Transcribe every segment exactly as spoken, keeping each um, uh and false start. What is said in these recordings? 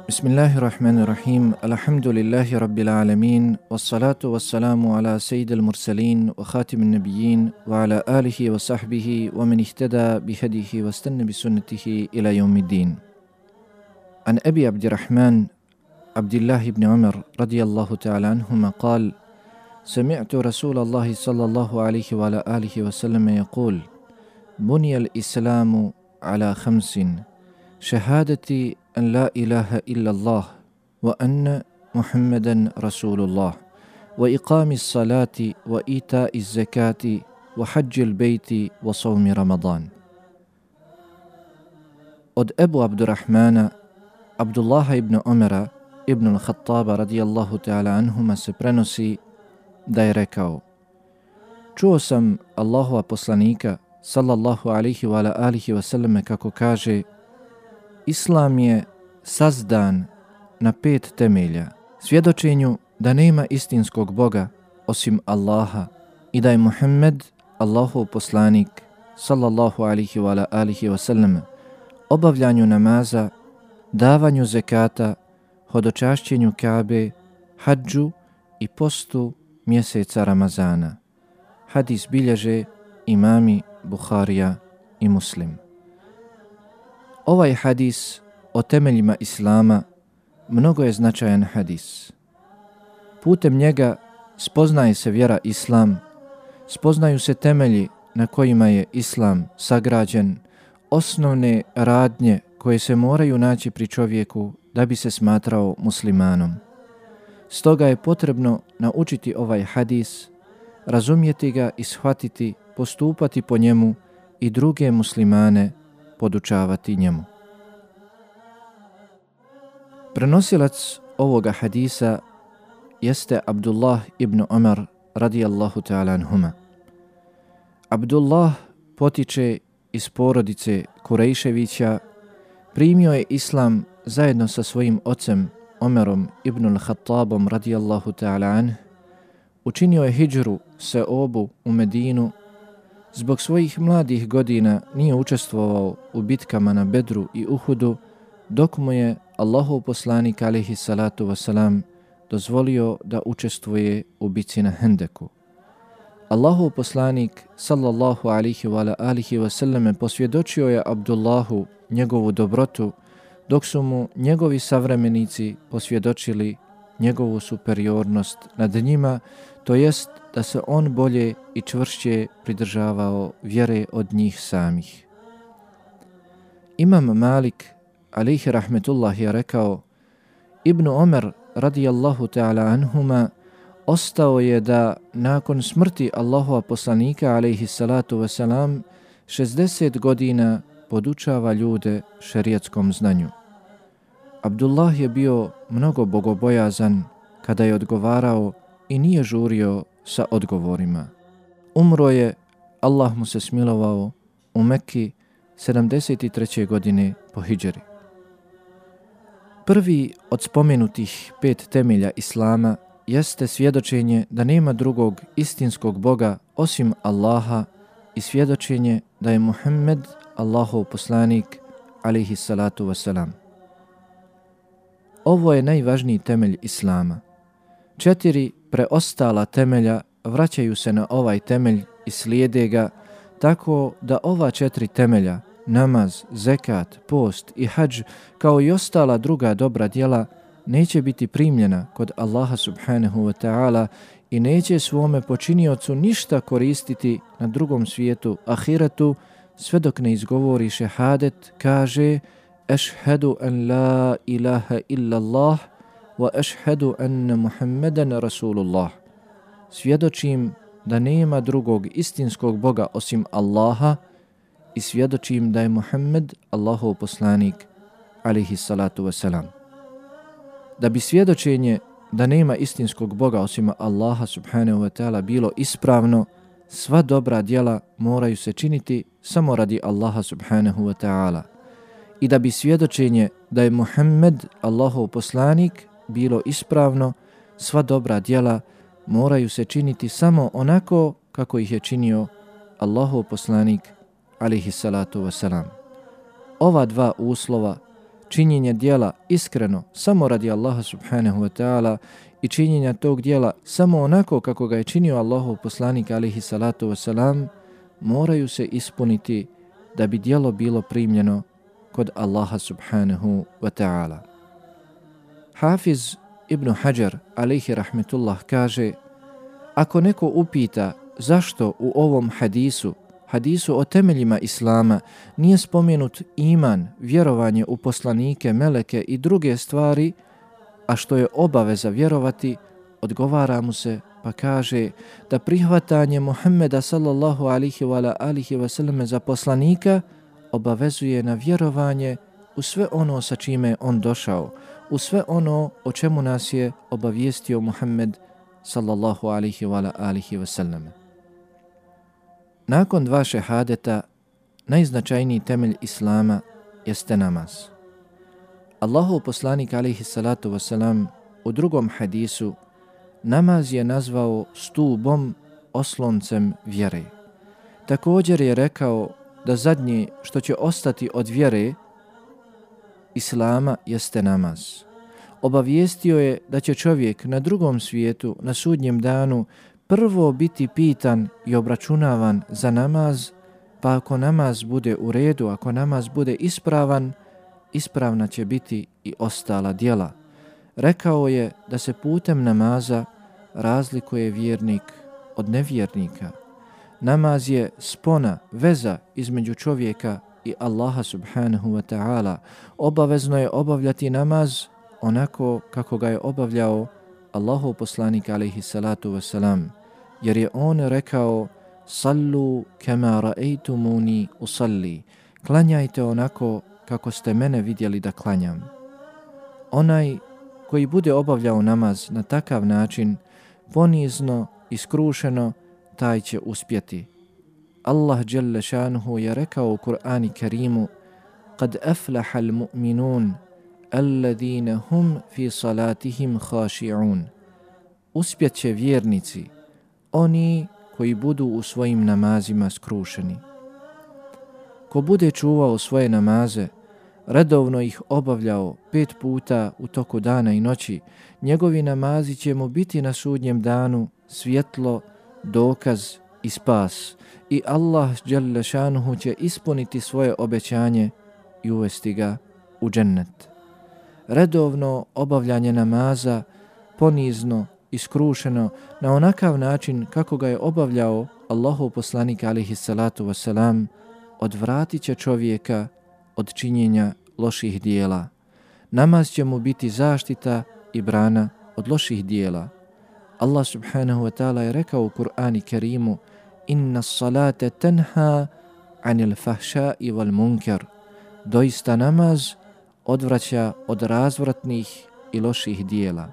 Bismillahirrahmanirrahim. Alhamdulillahi rabbil alamin. Wassalatu wassalamu ala sayyidil mursalin wa khatimin nabiyyin wa ala alihi wa sahbihi wa man ihtada bihadihi wa istanna bi sunnatihi ila yawmiddin. An Abi Abdirrahman Abdullah ibn Umar radiyallahu ta'ala anhuma qala sami'tu Rasulallahi sallallahu alayhi wa ala alihi wa sallam yaqul buniyal islamu ala khamsin shahadati أن لا إله إلا الله وأن محمدا رسول الله وإقام الصلاة وإيتاء الزكاة وحج البيت وصوم رمضان. Od Ebu Abdurrahmana Abdullaha ibn Umara ibn al-Khattaba radijallahu ta'ala anhuma se prenosi da je rekao: čuo sam Allahova poslanika sallallahu alihi wa ala alihi wa sallam kako kaže: Islam je sazdan na pet temelja: svjedočenju da nema istinskog Boga osim Allaha i da je Muhammed Allahov poslanik sallallahu alihi wa alihi wa sallam, obavljanju namaza, davanju zekata, hodočašćenju Kabe, hadžu i postu mjeseca Ramazana. Hadis bilježe imami Bukharija i Muslim. Ovaj hadis o temeljima Islama mnogo je značajan hadis. Putem njega spoznaje se vjera Islam, spoznaju se temelji na kojima je Islam sagrađen, osnovne radnje koje se moraju naći pri čovjeku da bi se smatrao muslimanom. Stoga je potrebno naučiti ovaj hadis, razumjeti ga i shvatiti, postupati po njemu i druge muslimane podučavati njemu. Prenosilac ovoga hadisa jeste Abdullah ibn Umar radijallahu ta'ala anhuma. Abdullah potiče iz porodice Kurejševića, primio je Islam zajedno sa svojim ocem Omerom ibn al-Khattabom radijallahu ta'ala anh, učinio je hidžru se obu u Medinu. Zbog svojih mladih godina nije učestvovao u bitkama na Bedru i Uhudu, dok mu je Allahov poslanik alejhi salatu wasalam dozvolio da učestvuje u bitci na Hendeku. Allahov poslanik sallallahu alaihi wa alihi wasallam posvjedočio je Abdullahu njegovu dobrotu, dok su mu njegovi savremenici posvjedočili njegovu superiornost nad njima, to jest da se on bolje i čvršće pridržavao vjere od njih samih. Imam Malik alejhi rahmetullah je rekao: Ibn Omer radijallahu ta'ala anhuma ostao je da nakon smrti Allahova poslanika alejhi salatu wasalam šezdeset godina podučava ljude šerijatskom znanju. Abdullah je bio mnogo bogobojazan kada je odgovarao i nije žurio sa odgovorima. Umro je, Allah mu se smilovao, u Mekki sedamdeset treće godine po hidžri. Prvi od spomenutih pet temelja Islama jeste svjedočenje da nema drugog istinskog Boga osim Allaha i svjedočenje da je Muhammed Allahov poslanik alejhi salatu wasalam. Ovo je najvažniji temelj Islama. Četiri preostala temelja vraćaju se na ovaj temelj i slijede ga, tako da ova četiri temelja, namaz, zekat, post i hadž, kao i ostala druga dobra djela, neće biti primljena kod Allaha subhanahu wa ta'ala i neće svome počiniocu ništa koristiti na drugom svijetu, ahiretu, sve dok ne izgovori šehadet, kaže: Ešhedu an la ilaha illa Allah wa ešhedu anna Muhammedan Rasulullah. Svjedočim da nema drugog istinskog Boga osim Allaha i svjedočim da je Muhammed Allahov poslanik alejhi salatu wasalam. Da bi svjedočenje da nema istinskog Boga osim Allaha subhanahu wa ta'ala bilo ispravno, sva dobra djela moraju se činiti samo radi Allaha subhanahu wa ta'ala i da bi svjedočenje da je Muhammed Allahov poslanik bilo ispravno, sva dobra djela moraju se činiti samo onako kako ih je činio Allahov poslanik alejhi salatu vesselam. Ova dva uslova, činjenje djela iskreno samo radi Allaha subhanahu wa ta'ala i činjenja tog djela samo onako kako ga je činio Allahov poslanik alejhi salatu vesselam, moraju se ispuniti da bi djelo bilo primljeno kod Allaha subhanahu wa ta'ala. Hafiz Ibn Hajar alejhi rahmetullah kaže: ako neko upita zašto u ovom hadisu, hadisu o temeljima Islama, nije spomenut iman, vjerovanje u poslanike, meleke i druge stvari, a što je obaveza vjerovati, odgovara mu se pa kaže da prihvatanje Muhammeda sallallahu alihi wa alihi wasallam za poslanika obavezuje na vjerovanje u sve ono sa čime je on došao, u sve ono o čemu nas je obavijestio Muhammed sallallahu alihi wa alihi wasallam. Nakon dva šehadeta, najznačajniji temelj Islama jeste namaz. Allahov poslanik alejhi salatu wasalam u drugom hadisu namaz je nazvao stubom, osloncem vjere. Također je rekao da zadnje što će ostati od vjere Islama jeste namaz. Obavijestio je da će čovjek na drugom svijetu, na sudnjem danu, prvo biti pitan i obračunavan za namaz, pa ako namaz bude u redu, ako namaz bude ispravan, ispravna će biti i ostala djela. Rekao je da se putem namaza razlikuje vjernik od nevjernika. Namaz je spona, veza između čovjeka i Allaha subhanahu wa ta'ala. Obavezno je obavljati namaz onako kako ga je obavljao Allahov poslanik alejhi salatu wasalam, jer je on rekao: sallu kama ra'aytumuni usalli, klanjajte onako kako ste mene vidjeli da klanjam. Onaj koji bude obavljao namaz na takav način, ponizno i skrušeno, taj će uspjeti. Allah dželle šanuhu je rekao u Kur'anu Kerimu: kad aflaha al-mu'minun alladhina hum fi salatihim khashi'un. Uspjeće vjernici, oni koji budu u svojim namazima skrušeni. Ko bude čuvao svoje namaze, redovno ih obavljao pet puta u toku dana i noći, njegovi namazi će mu biti na sudnjem danu svjetlo, dokaz i spas, i Allah dželle šanuhu će ispuniti svoje obećanje i uvesti ga u džennet. Redovno obavljanje namaza, ponizno i skrušeno, na onakav način kako ga je obavljao Allahov poslanik alejhi salatu vesselam, odvratit će čovjeka od činjenja loših dijela. Namaz će mu biti zaštita i brana od loših dijela. Allah subhanahu wa ta'ala je rekao u Kur'anu Kerimu: inna salate tenha anil fahšai wal munkar. Doista namaz odvraća od razvratnih i loših dijela.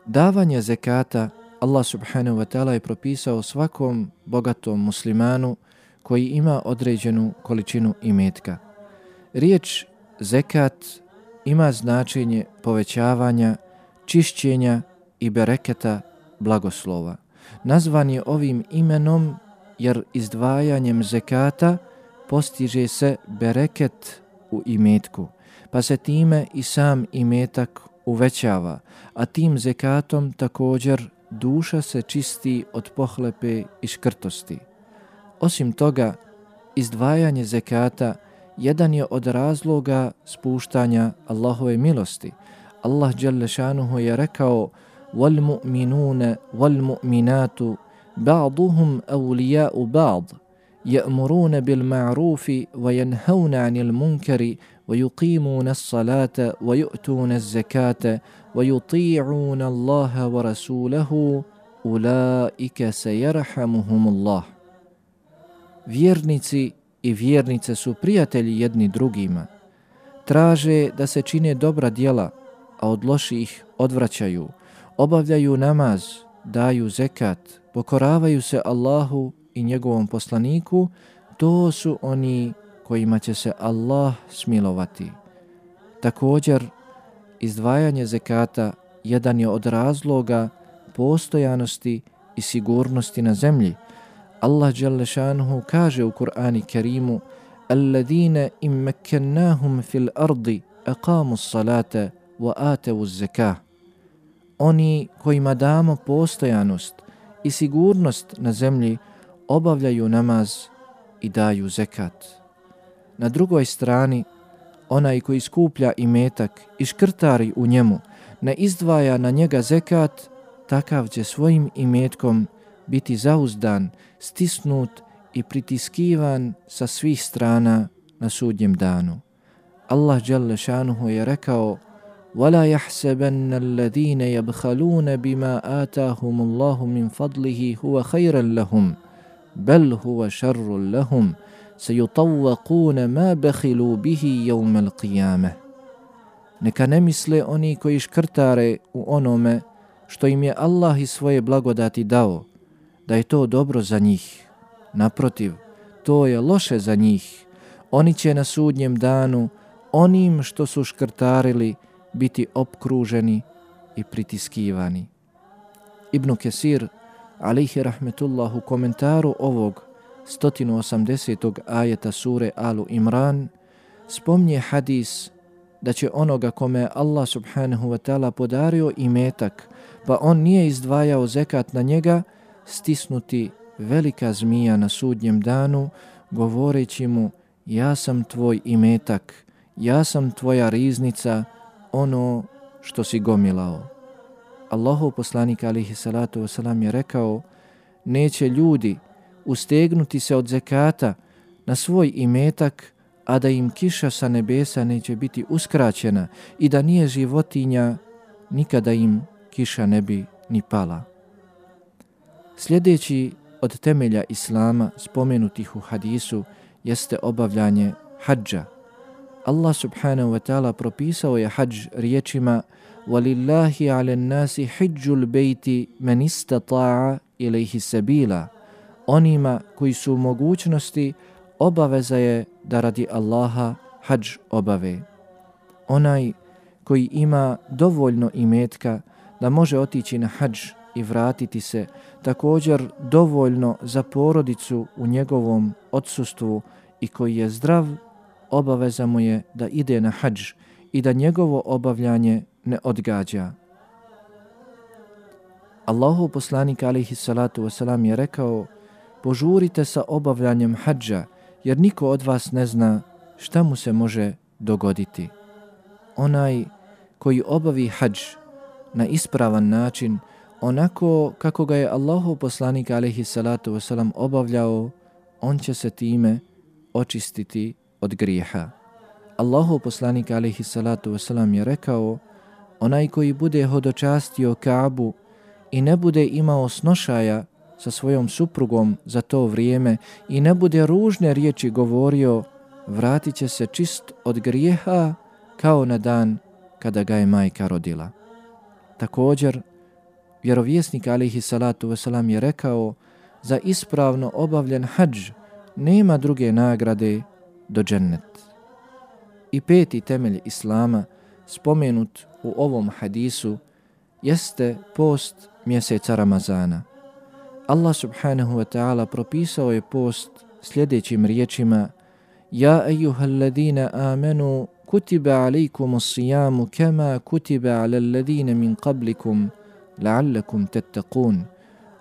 Davanje zekata Allah subhanahu wa ta'ala je propisao svakom bogatom muslimanu koji ima određenu količinu imetka. Riječ zekat ima značenje povećavanja, čišćenja i bereketa, blagoslova. Nazvan je ovim imenom jer izdvajanjem zekata postiže se bereket u imetku, pa se time i sam imetak uvećava, a tim zekatom također duša se čisti od pohlepe i škrtosti. Osim toga, izdvajanje zekata jedan je od razloga spuštanja Allahove milosti. Allah dželle šanuhu je rekao: wal mu'minuna wal mu'minatu ba'duhum awliya'u ba'd ya'muruna bil ma'rufi wa yanhauna 'anil munkari wa yuqimuna as-salata wa yu'tuna az-zakata wa yuti'una Allaha wa rasulahu ulaika sayarhamuhumullah. Vjernici i vjernice su prijatelji jedni drugima. Traže da se čine dobra djela, a od loših odvraćaju. Obavljaju namaz, daju zekat, pokoravaju se Allahu i njegovom poslaniku. to su oni kojima će se Allah smilovati. Također, izdvajanje zekata jedan je od razloga postojanosti i sigurnosti na zemlji. Allah dželle šanuhu kaže u Kur'anu Kerimu: "Alladine im makkannahum fil ardi aqamu s-salata wa atu z-zakah." Oni kojima damo postojanost i sigurnost na zemlji obavljaju namaz i daju zekat. Na drugoj strani, onaj koji skuplja imetak i škrtari u njemu, ne izdvaja na njega zekat, takav će svojim imetkom biti zauzdan, stisnut i pritiskivan sa svih strana na sudnjem danu. Allah dželle šanuhu je rekao: وَلَا يَحْسَبَنَّ الَّذِينَ يَبْخَلُونَ بِمَا آتَاهُمُ اللَّهُ مِنْ فَضْلِهِ هُوَ خَيْرًا لَهُمْ بَلْ هُوَ شَرٌّ لَهُمْ سَيُطَوَّقُونَ مَا بَخِلُوا بِهِ يَوْمَ الْقِيَامَةِ. Neka ne misle oni koji škrtare u onome što im je Allah iz svoje blagodati dao, da je to dobro za njih. Naprotiv, to je loše za njih. Oni će na sudnjem danu onim što su škrtarili biti opkruženi i pritiskivani. Ibn Kesir, alejhi rahmetullah, u komentaru ovog sto osamdesetog ajeta sure Alu Imran spomnje hadis da će onoga kome Allah subhanahu wa ta'ala podario imetak, pa on nije izdvajao zekat na njega, stisnuti velika zmija na sudnjem danu, govoreći mu: ja sam tvoj imetak, ja sam tvoja riznica, ono što si gomilao. Allahov poslanik alejhi salatu vesselam je rekao: neće ljudi ustegnuti se od zekata na svoj imetak, a da im kiša sa nebesa neće biti uskraćena i da nije životinja, nikada im kiša ne bi ni pala. Sljedeći od temelja Islama spomenutih u hadisu jeste obavljanje hadža. Allah subhanahu wa ta'ala propisao je hadž riječima: وَلِلَّهِ عَلَى النَّاسِ حِجُّ الْبَيْتِ مَنِ اسْتَطَاعَ إِلَيْهِ سَبِيلًا. Onima koji su u mogućnosti, obaveza je da radi Allaha hadž obave. Onaj koji ima dovoljno imetka da može otići na hadž i vratiti se, također dovoljno za porodicu u njegovom odsustvu i koji je zdrav, obaveza mu je da ide na hadž i da njegovo obavljanje ne odgađa. Allahov poslanik alejhi salatu vesselam je rekao: požurite sa obavljanjem hadža, jer niko od vas ne zna šta mu se može dogoditi. Onaj koji obavi hadž na ispravan način, onako kako ga je Allahov poslanik alejhi salatu vesselam obavljao, on će se time očistiti od grijeha. Allahov poslanik alejhi salatu vesselam je rekao: onaj koji bude hodočastio Kaabu i ne bude imao snošaja sa svojom suprugom za to vrijeme i ne bude ružne riječi govorio, vratit će se čist od grijeha kao na dan kada ga je majka rodila. Također, vjerovjesnik alejhi salatu vesselam je rekao: za ispravno obavljen hadž nema druge nagrade do džennet. I peti temelj Islama spomenut u ovom hadisu jeste post mjeseca Ramazana. Allah subhanahu wa ta'ala propisao je post sljedećim riječima: ja ejuhalladina amenu kutiba alejkum as-sijamu kama kutiba ala alladina min qablikum la'allakum tattaqun.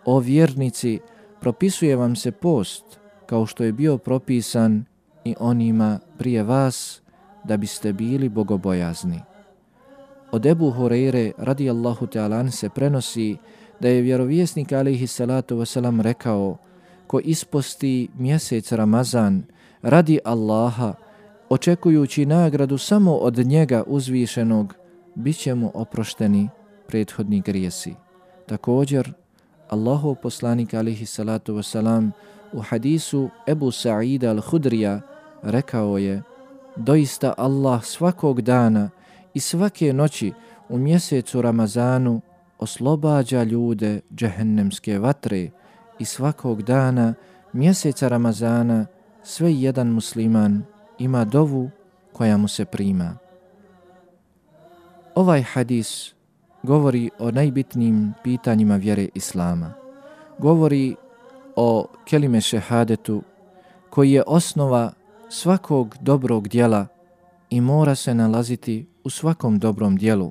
O vjernici, propisuje vam se post kao što je bio propisan i onima prije vas, da biste bili bogobojazni. Od Ebu Hureyre radijallahu ta'ala an se prenosi da je vjerovjesnik alejhi salatu vesselam rekao: ko isposti mjesec Ramazan radi Allaha, očekujući nagradu samo od njega uzvišenog, bit će mu oprošteni prethodni grijesi. Također, Allahov poslanik alejhi salatu vesselam u hadisu Ebu Sa'ida al-Hudrija rekao je: doista Allah svakog dana i svake noći u mjesecu Ramazanu oslobađa ljude džehennemske vatre i svakog dana mjeseca Ramazana sve jedan musliman ima dovu koja mu se prima. Ovaj hadis govori o najbitnijim pitanjima vjere Islama. Govori o kelime šehadetu koji je osnova svakog dobrog djela i mora se nalaziti u svakom dobrom djelu.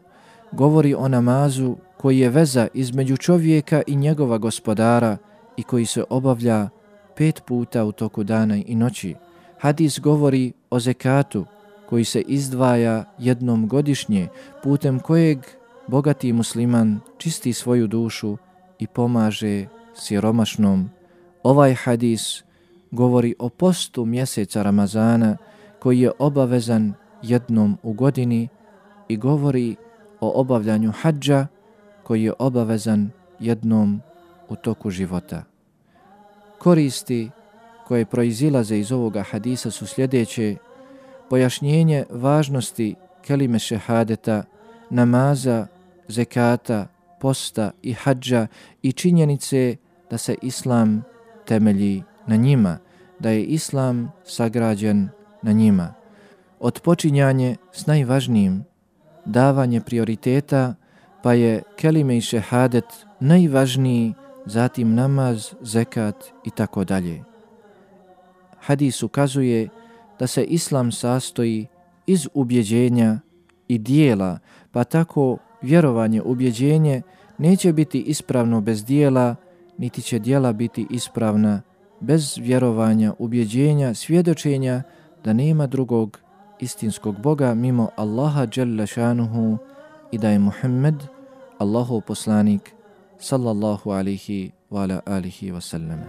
Govori o namazu koji je veza između čovjeka i njegova gospodara i koji se obavlja pet puta u toku dana i noći. Hadis govori o zekatu koji se izdvaja jednom godišnje, putem kojeg bogati musliman čisti svoju dušu i pomaže siromašnom. Ovaj hadis govori o postu mjeseca Ramazana koji je obavezan jednom u godini i govori o obavljanju hadža koji je obavezan jednom u toku života. Koristi koje proizilaze iz ovoga hadisa su sljedeće: pojašnjenje važnosti kelime šehadeta, namaza, zekata, posta i hadža i činjenice da se Islam temelji na njima, da je Islam sagrađen na njima. Odpočinjanje s najvažnijim, davanje prioriteta, pa je kelime i šehadet najvažniji, zatim namaz, zekat i tako dalje. Hadis ukazuje da se Islam sastoji iz ubjeđenja i dijela, pa tako vjerovanje, ubjeđenje neće biti ispravno bez dijela, niti će dijela biti ispravna bez vjerovanja, ubjeđenja, svjedočenja da nema drugog istinskog Boga mimo Allaha dželle šanuhu i da je Muhammed Allahov poslanik sallallahu alihi wa ala alihi wa sallam.